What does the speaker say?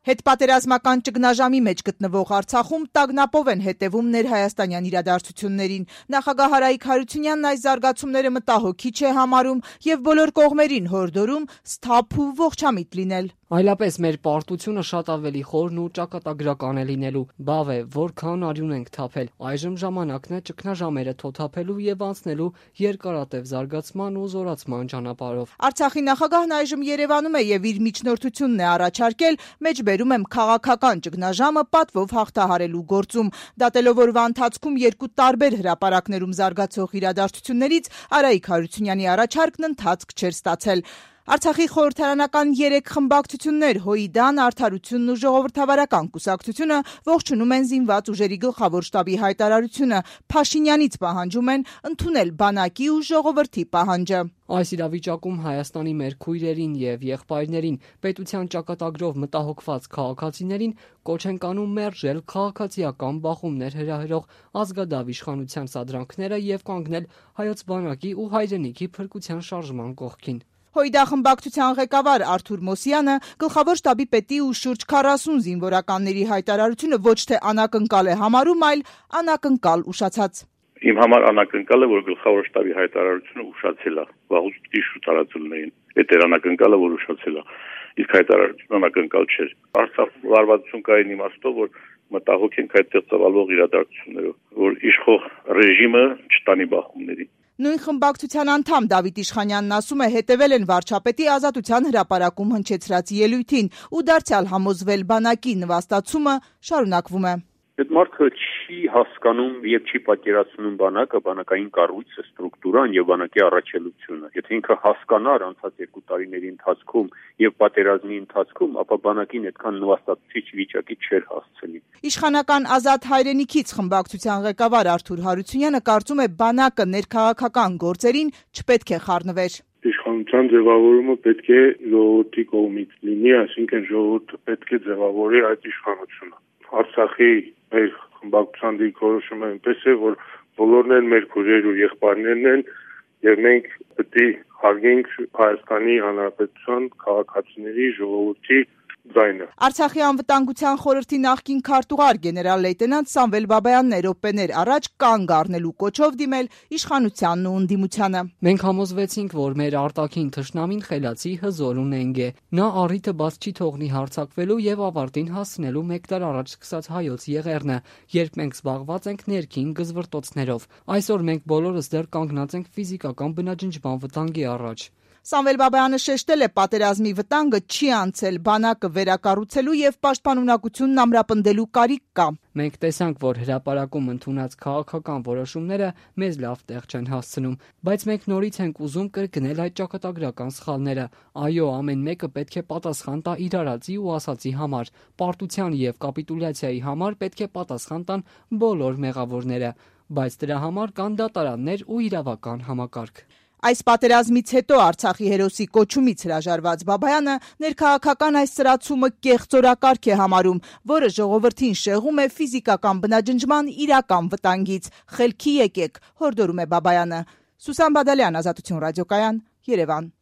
Հետպատերազմական ճգնաժամի մեջ գտնվող Արցախում տագնապով են հետևում ներհայաստանյան իրադարձություններին։ Նախագահ Արայիկ Հարությունյանն այս զարգացումները մտահոգիչ է համարում եւ բոլոր կողմերին հորդորում սթափ ու ողջամիտ լինել։ Այլապես մեր պարտությունը շատ ավելի խորն ու ճակատագրական է լինելու։ Բավ է, որքան արյուն ենք թափել։ Այժմ ժամանակն է ճգնաժամերը թոթափելու եւ անցնելու երկարատև զարգացման ու զորացման ճանապարհով։ Արցախի նախագահն այժմ Երևանում է եւ իր միջնորդությունն է առաջարկել մեջբերում եմ քաղաքական ճգնաժամը պատվով հաղթահարելու գործում։ Դատելով օրվա ընթացքում երկու տարբեր հրապարակներում զարգացող իրադարձություններից Արայիկ Հարությունյանի առաջարկն ընթացք չէր ստացել։ Արցախի խորհրդարանական 3 խմբակցություններ՝ ՀՅԴ, Արդարությունն ու Ժողովրդավարական կուսակցությունը ողջունում են զինված ուժերի գլխավոր շտաբի հայտարարությունը, Փաշինյանից պահանջում են ընդունել բանակի ու ժողովրդի պահանջը։ Այս իրավիճակում Հայաստանի մեր քույրերին եւ եղբայրներին, պետության ճակատագրով մտահոգված քաղաքացիներին կոչ ենք անում մերժել քաղաքացիական բախումներ հրահրող ազգադավ իշխանության սադրանքները եւ կանգնել հայոց բանակի ու հայրենիքի փրկության շարժման կողքին։ ՀՅԴ խմբակցության ղեկավար Արթուր Մոսյանը գլխավոր շտաբի պետի ու շուրջ 40 զինվորականների հայտարարությունը ոչ թե անակնկալ է համարում, այլ անակնկալ ուշացած։ Իմ համար անակնկալ է, որ գլխավոր շտաբի հայտարարությունը ուշացել է, վաղուց պիտի շուտ արածելներին։ Այդ էր անակնկալը, որ ուշացել է։ Իսկ հայտարարությունը անակնկալ չէր։ Արցախում լարվածություն կային իմաստով, որ մտահոգ ենք այդտեղ ծավալվող իրադարձություններով, որ իշխող ռեժիմը չտանի բախումների։ Նույն խմբակցության անդամ Դավիթ Իշխանյանն ասում է, հետևել են վարչապետի ազատության հրապարակում հնչեցրած ելույթին ու դարձյալ համոզվել բանակի նվաստացումը շարունակվում է։ Այդ մարդը չի հասկանում եւ չի պատկերացնում բանակը, բանակային կառույցը, ստրուկտուրան եւ բանակի առաքելությունը։ Եթե ինքը հասկանար անցած 2 տարիների ընթացքում եւ պատերազմի ընթացքում, ապա բանակին այդքան նվաստացիչ վիճակի չէր հասցնի։ Իշխանական ազատ հայրենիքից խմբակցության ղեկավար Արթուր Հարությունյանը կարծում է բանակը ներքաղաքական գործերին չպետք է խառնվեր։ Իշխանության ձևավորումը պետք է ժողովրդի կողմից լինի, այսինքն ժողովուրդը պետք է ձևավորի այդ իշխանությունը։ Արցախի մեր խմբակցության դիրքորոշումը այնպես է, որ բոլորն են մեր քույրեր ու եղբայրներն են եւ մենք պետք է հարգենք Հայաստանի Հանրապետության քաղաքացիների ժողովրդի ձայնը։ Արցախի անվտանգության խորհրդի նախկին քարտուղար գեներալ լեյտենանտ Սամվել Բաբայանն է րոպեներ առաջ կանգ առնելու կոչով դիմել իշխանությանն ու ընդդիմությանը։ Մենք համոզվեցինք, որ մեր արտաքին թշնամին խելացի, հզոր ու նենգ է։ Նա առիթը բաց չի թողնի հարձակվելու եւ ավարտին հասցնելու 1 տար առաջ սկսած հայոց եղեռնը, երբ մենք զբաղված ենք ներքին գզվռտոցներով։ Այսօր մենք բոլորս դեռ կանգնած ենք ֆիզիկական բնաջնջման վտանգի առաջ։ Սամվել Բաբայանը շեշտել է, պատերազմի վտանգը չի անցել, բանակը վերակառուցելու եւ պաշտպանունակությունն ամրապնդելու կարիք կա։ Մենք տեսանք, որ հրապարակում ընդունած քաղաքական որոշումները մեզ լավ տեղ չեն հասցնում, բայց մենք նորից ենք ուզում կրկնել այդ ճակատագրական սխալները։ Այո, ամեն մեկը պետք է պատասխան տա իր արածի ու ասածի համար, պարտության եւ կապիտուլյացիայի համար պետք է պատասխան տան բոլոր մեղավորները, բայց դրա համար կան դատարաններ ու իրավական համակարգ։ Այս պատերազմից հետո Արցախի հերոսի կոչումից հրաժարված Բաբայանը ներքաղաքական այս սրացումը կեղծորակարգ է համարում, որը ժողովրդին շեղում է ֆիզիկական բնաջնջման իրական վտանգից։ Խելքի եկեք, հորդորում է Բաբայանը։ Սուսան Բադալյան, Ազատություն ռադիոկայան, Երևան։